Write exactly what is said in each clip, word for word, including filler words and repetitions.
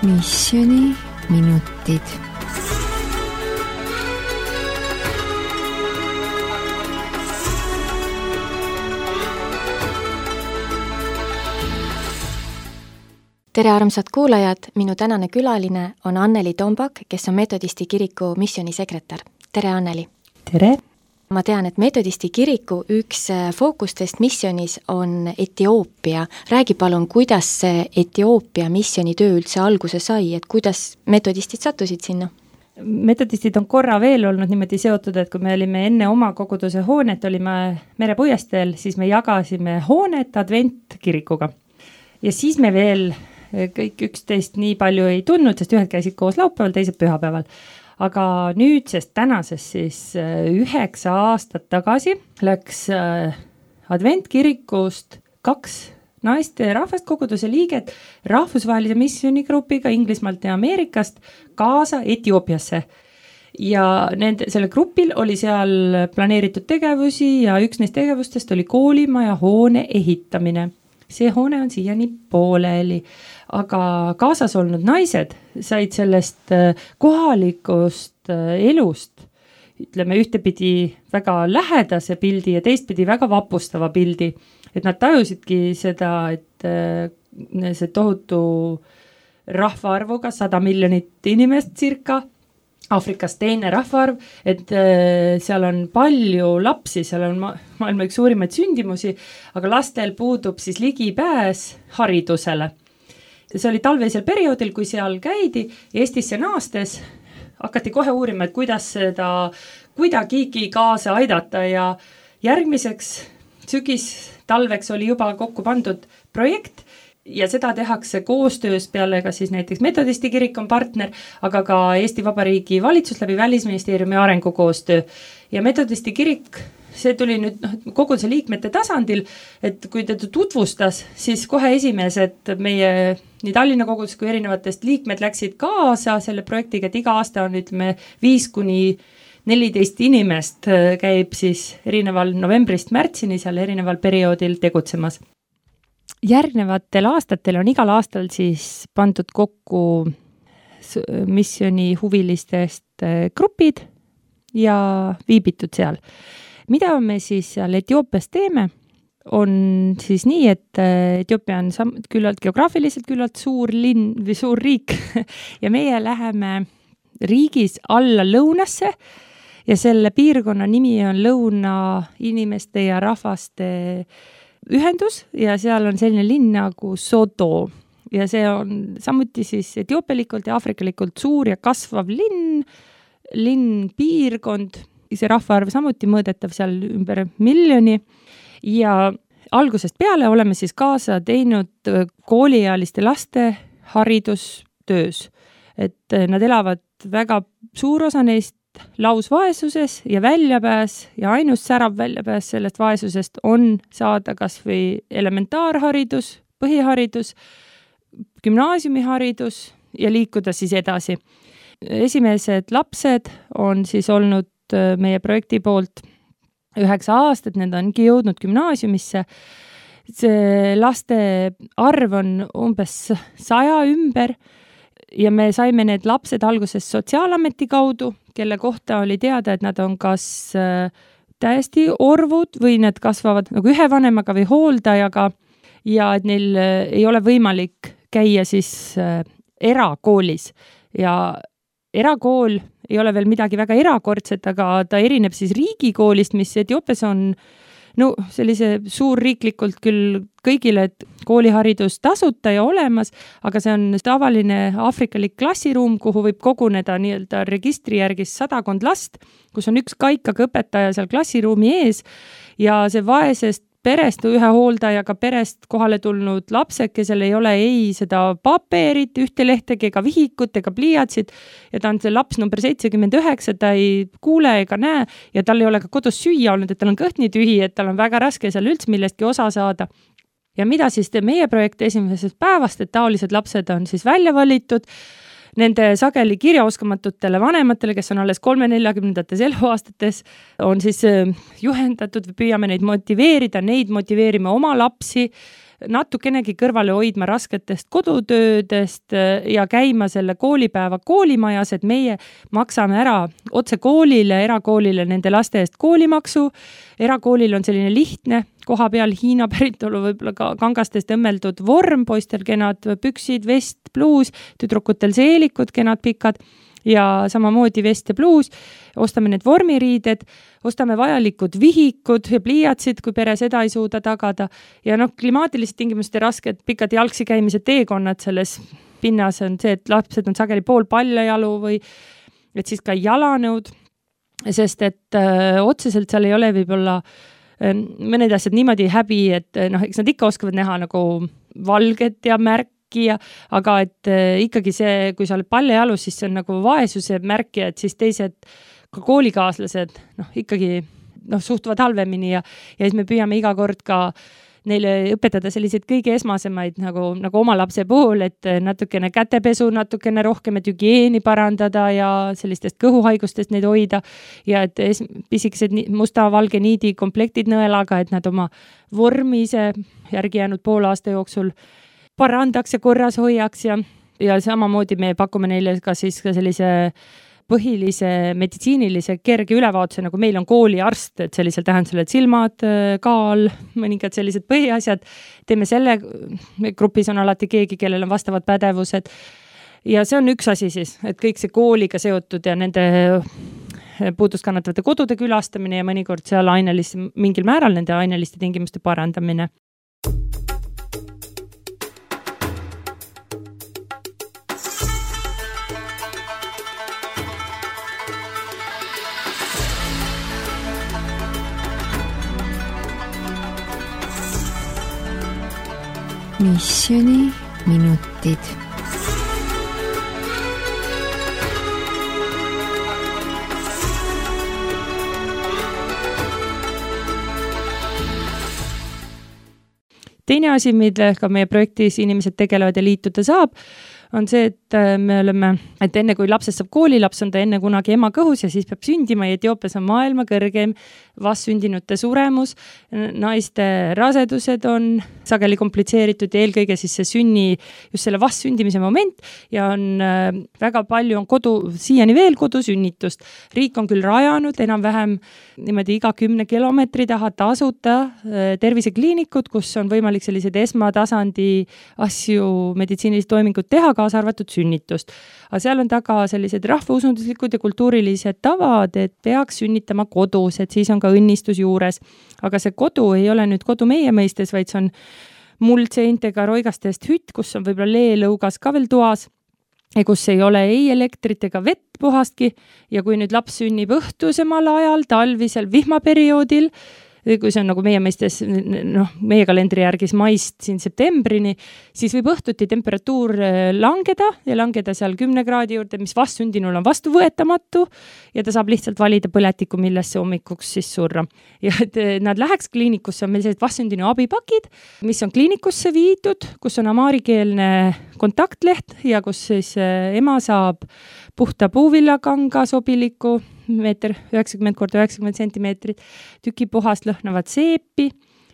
Missioni minutid. Tere armsad kuulajad, minu tänane külaline on Anneli Tombak, kes on Metodisti kiriku missionisekretär. Tere Anneli! Tere! Ma tean, et Metodisti kiriku üks fookustest missionis on Etioopia. Räägi palun, kuidas see Etioopia missionitöö üldse alguse sai, et kuidas metodistid sattusid sinna? Metodistid on korra veel olnud niimoodi seotud, et kui me olime enne oma koguduse hoonet, olime Merepuiesteel, siis me jagasime hoonet adventkirikuga. Ja siis me veel kõik üksteist nii palju ei tundnud, sest ühed käisid koos laupäeval, teised pühapäeval. Aga nüüd, sest tänases siis üheksa aastat tagasi läks adventkirikust kaks naiste rahvast koguduse liiget rahvusvahelise missioonigrupiga Inglismaalt ja Ameerikast kaasa Etioopiasse. Ja nende, selle grupil oli seal planeeritud tegevusi ja üks neist tegevustest oli koolimaja hoone ehitamine. See hoone on siiani pooleli, aga kaasas olnud naised said sellest kohalikust elust, ütleme ühtepidi väga lähedase pildi ja teistpidi väga vapustava pildi, et nad tajusidki seda, et see tohutu rahvaarvuga sada miljonit inimest cirka, Aafrikas teine rahvaarv, et seal on palju lapsi, seal on ma- maailma üks suurimaid sündimusi, aga lastel puudub siis ligipääs haridusele. See oli talveisel perioodil, kui seal käidi, Eestisse naastes hakati kohe uurima, et kuidas seda kuidagigi kaasa aidata ja järgmiseks sügis talveks oli juba kokku pandud projekt, ja seda tehakse koostöös peale ka siis näiteks Metodisti kirik on partner, aga ka Eesti Vabariigi valitsus läbi Välisministeeriumi arengukoostöö. Ja Metodisti kirik, see tuli nüüd noh, koguduse liikmete tasandil, et kui ta tutvustas, siis kohe esimesed meie nii Tallinna kogudus kui erinevatest liikmed läksid kaasa selle projektiga, et iga aasta on ütleme viis kuni neliteist inimest käib siis erineval novembrist märtsini seal erineval perioodil tegutsemas. Järgnevatel aastatel on igal aastal siis pandud kokku missioni huvilistest grupid ja viibitud seal. Mida me siis seal Etioopias teeme, on siis nii, et Etioopia on sam- küllalt geograafiliselt küllalt suur linn või suur riik ja meie läheme riigis alla lõunasse ja selle piirkonna nimi on Lõuna inimeste ja rahvaste ühendus ja seal on selline linn nagu Soto ja see on samuti siis etioopilikult ja afrikalikult suur ja kasvav linn, linn piirkond, see rahvaarv samuti mõõdetav seal ümber miljoni ja algusest peale oleme siis kaasa teinud kooliealiste laste haridustöös, et nad elavad väga suur osa neist lausvaesuses ja väljapääs ja ainus särav väljapääs sellest vaesusest on saada kas või elementaarharidus, põhiharidus, gümnaasiumiharidus ja liikuda siis edasi. Esimesed lapsed on siis olnud meie projekti poolt üheksa aastat, need ongi jõudnud gümnaasiumisse. See laste arv on umbes saja ümber ja me saime need lapsed alguses sotsiaalameti kaudu, kelle kohta oli teada, et nad on kas täiesti orvud või nad kasvavad nagu ühe vanemaga või hooldajaga ja et neil ei ole võimalik käia siis erakoolis. Ja erakool ei ole veel midagi väga erakordset, aga ta erineb siis riigikoolist, mis Etioopias on no sellise suurriiklikult küll kõigile kooliharidus tasuta ja olemas, aga see on tavaline aafrikalik klassiruum, kuhu võib koguneda nii-öelda registri järgis sadakond last, kus on üks kaikaga õpetaja seal klassiruumi ees ja see vaesest perest või ühe hooldajaga perest kohale tulnud lapsed, kesel ei ole ei seda paperit, ühte lehtegi ega vihikut ega pliiatsit ja ta on see laps number seitsekümmend üheksa, ta ei kuule ega näe ja tal ei ole ka kodus süüa olnud, et tal on kõht nii tühi, et tal on väga raske seal üldse millestki osa saada. Ja mida siis teeb meie projekt esimesest päevast, et taolised lapsed on siis välja valitud, nende sageli kirjaoskamatutele vanematele, kes on alles kolme-neljakümnendates eluaastates, on siis juhendatud või püüame neid motiveerida, neid motiveerime oma lapsi natukenegi kõrvale hoidma rasketest kodutöödest ja käima selle koolipäeva koolimajas, et meie maksame ära otse koolile, erakoolile nende laste eest koolimaksu. Erakoolil on selline lihtne, koha peal Hiina päritolu võib-olla ka kangastest õmmeldud vorm, poistel kenad püksid, vest, pluus, tüdrukutel seelikud, kenad pikad ja samamoodi vest ja pluus. Ostame need vormiriided, ostame vajalikud vihikud ja pliiatsid, kui pere seda ei suuda tagada. Ja noh, klimaatilised tingimused ja rasked pikad jalgsi käimise teekonnad selles pinnas on see, et lapsed on sageli pool paljajalu või et siis ka jalanõud, sest et öö, otseselt seal ei ole võib-olla öö, mõned asjad niimoodi häbi, et noh, eks nad ikka oskavad näha nagu valget ja märk, Ja, aga et äh, ikkagi see, kui sa oled paljajalus, siis see on nagu vaesuse märk ja et siis teised ka koolikaaslased noh, ikkagi noh, suhtuvad halvemini ja, ja siis me püüame iga kord ka neile õpetada selliseid kõige esmasemaid nagu, nagu oma lapse puhul, et natukene kätepesu, natukene rohkem, et hügieeni parandada ja sellistest kõhuhaigustest neid hoida ja et es, pisikesed musta-valge niidi komplektid nõelaga, et nad oma vormise järgi jäänud poole aasta jooksul parandaks ja korras hoiaks ja, ja samamoodi me pakume neile ka siis ka sellise põhilise meditsiinilise kerge ülevaatuse, nagu meil on kooliarst, et sellisel tähendusel, et silmad, kaal, mõningad sellised põhiasjad. Teeme selle, grupis on alati keegi, kellel on vastavad pädevused. Ja see on üks asi siis, et kõik see kooliga seotud ja nende puudust kannatavate kodude külastamine ja mõnikord seal aineliste, mingil määral nende aineliste tingimuste parandamine. Missioni minutid. Teine asi, millega meie projektis inimesed tegelevad ja liituda saab, on see, et me oleme, et enne kui lapsest saab koolilaps, on ta enne kunagi ema kõhus ja siis peab sündima ja Etioopias on maailma kõrgeim vastsündinute suremus. Naiste rasedused on sageli komplitseeritud ja eelkõige siis see sünni, just selle vastsündimise moment ja on väga palju on kodu, siiani veel kodusünnitust. Riik on küll rajanud enam-vähem niimoodi iga kümne kilomeetri taha tasuta tervisekliinikud, kus on võimalik sellised esmatasandi asju, meditsiinilised toimingud teha, kaasa arvatud sünnitust. Aga seal on taga sellised rahvausunduslikud ja kultuurilised tavad, et peaks sünnitama kodus, et siis on ka õnnistus juures. Aga see kodu ei ole nüüd kodu meie mõistes, vaid see on muldseintega roigastest hütt, kus on võib-olla leelõugas ka veel toas, kus ei ole ei elektrit ega vett puhastki ja kui nüüd laps sünnib õhtusemal ajal, talvisel vihmaperioodil, kui see on nagu meie mõistes, noh, meie kalendri järgis maist siin septembrini, siis võib õhtuti temperatuur langeda ja langeda seal kümne kraadi juurde, mis vastsündinul on vastuvõetamatu ja ta saab lihtsalt valida põletiku, millesse hommikuks siis surra. Ja et nad läheks kliinikusse, on meil sellised vastsündinu abipakid, mis on kliinikusse viidud, kus on amaarikeelne kontaktleht ja kus siis ema saab puhta puuvillakanga sobiliku, meeter üheksakümmend korda üheksakümmend sentimeetrit, tüki puhast lõhnavat seepi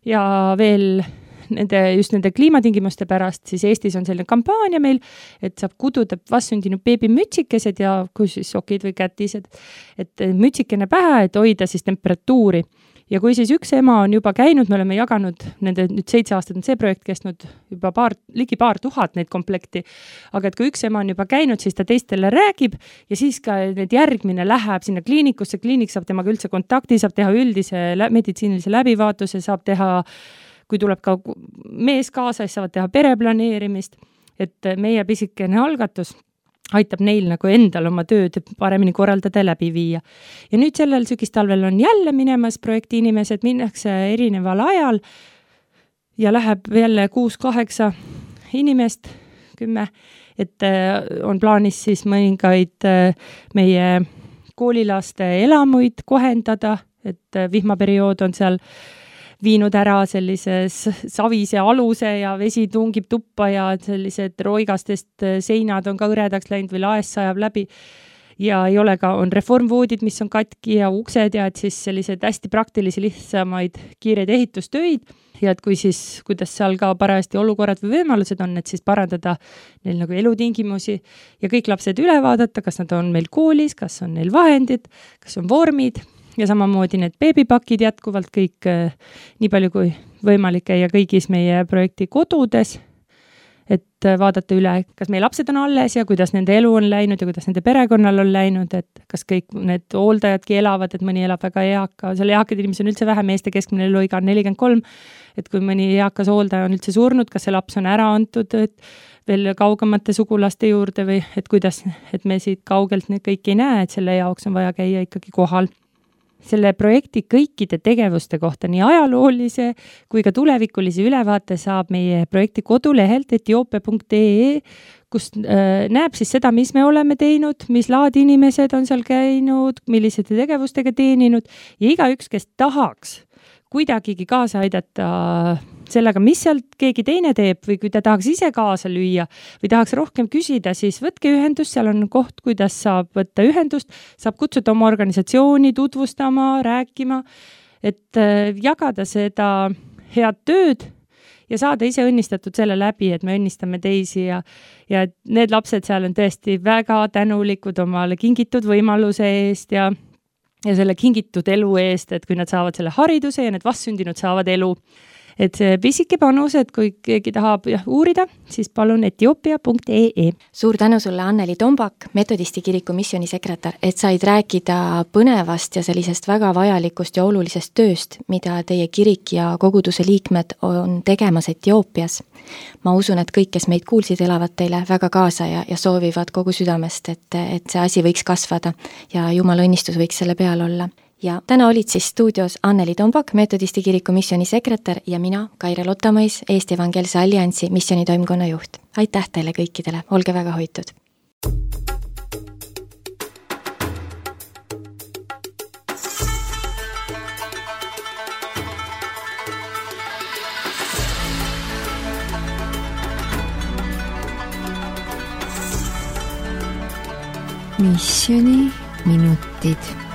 ja veel nende, just nende kliimatingimuste pärast, siis Eestis on selline kampaania meil, et saab kududa vastsündinud beebimütsikesed ja kus siis sokid või kätised, et mütsikene pähe, et hoida siis temperatuuri. Ja kui siis üks ema on juba käinud, me oleme jaganud, nende nüüd seitse aastat on see projekt kestnud juba paar, ligi paar tuhat neid komplekti, aga et kui üks ema on juba käinud, siis ta teistele räägib ja siis ka need järgmine läheb sinna kliinikusse, kliinik saab temaga üldse kontakti, saab teha üldise meditsiinilise läbivaatuse, saab teha, kui tuleb ka mees kaasa, siis saavad teha pereplaneerimist, et meie pisikene algatus aitab neil nagu endal oma tööd paremini korraldada ja läbi viia. Ja nüüd sellel sügistalvel on jälle minemas projekti inimesed, minnakse erineval ajal ja läheb jälle kuus-kaheksa inimest, kümme, et on plaanis siis mõningaid meie koolilaste elamuid kohendada, et vihmaperiood on seal viinud ära sellises savise aluse ja vesi tungib tuppa ja sellised roigastest seinad on ka õredaks läinud või laes sajab läbi. ja ei ole ka, on reformvoodid, mis on katki ja uksed ja et siis sellised hästi praktilisi lihtsamaid kiireid ehitustöid ja et kui siis, kuidas seal ka parajasti olukorrad või võimalused on, et siis parandada neil nagu elutingimusi ja kõik lapsed üle vaadata, kas nad on meil koolis, kas on neil vahendid, kas on vormid ja samamoodi need beebipakid jätkuvalt kõik nii palju kui võimalik käia kõigis meie projekti kodudes, et vaadata üle, kas meie lapsed on alles ja kuidas nende elu on läinud ja kuidas nende perekonnal on läinud, et kas kõik need hooldajadki elavad, et mõni elab väga eaka, seal eakad inimesed on üldse vähe, meeste keskmine eluiga on nelikümmend kolm, et kui mõni eakas hooldaja on üldse surnud, kas see laps on ära antud et veel kaugemate sugulaste juurde või et kuidas, et me siit kaugelt neid kõiki ei näe, et selle jaoks on vaja käia ikkagi kohal. Selle projekti kõikide tegevuste kohta nii ajaloolise kui ka tulevikulise ülevaate saab meie projekti kodulehelt etioopia punkt ee, kus äh, näeb siis seda, mis me oleme teinud, mis laadi inimesed on seal käinud, millised tegevustega teeninud ja igaüks, kes tahaks kuidagigi kaasa aidata sellega, mis sealt keegi teine teeb või kui ta tahaks ise kaasa lüüa või tahaks rohkem küsida, siis võtke ühendust, seal on koht, kuidas saab võtta ühendust, saab kutsuda oma organisatsiooni tutvustama, rääkima, et jagada seda head tööd ja saada ise õnnistatud selle läbi, et me õnnistame teisi ja, ja need lapsed seal on tõesti väga tänulikud omale kingitud võimaluse eest ja ja selle kingitud elu eest, et kui nad saavad selle hariduse ja need vastsündinud saavad elu. Et see pisike panus, et kui keegi tahab jah, uurida, siis palun etioopia punkt ee. Suur tänu sulle, Anneli Tombak, Metodisti kiriku missioonisekretär, et said rääkida põnevast ja sellisest väga vajalikust ja olulisest tööst, mida teie kirik ja koguduse liikmed on tegemas Etioopias. Ma usun, et kõik, kes meid kuulsid, elavad teile väga kaasa ja, ja soovivad kogu südamest, et, et see asi võiks kasvada ja Jumala õnnistus võiks selle peal olla. Ja täna olid siis stuudios Anneli Tombak, Metodisti kiriku missioonisekretär ja mina, Kaire Lottamõis, Eesti Evangeelse Alliansi missioonitoimkonna juht. Aitäh teile kõikidele, olge väga hoitud! Missiooni minutid.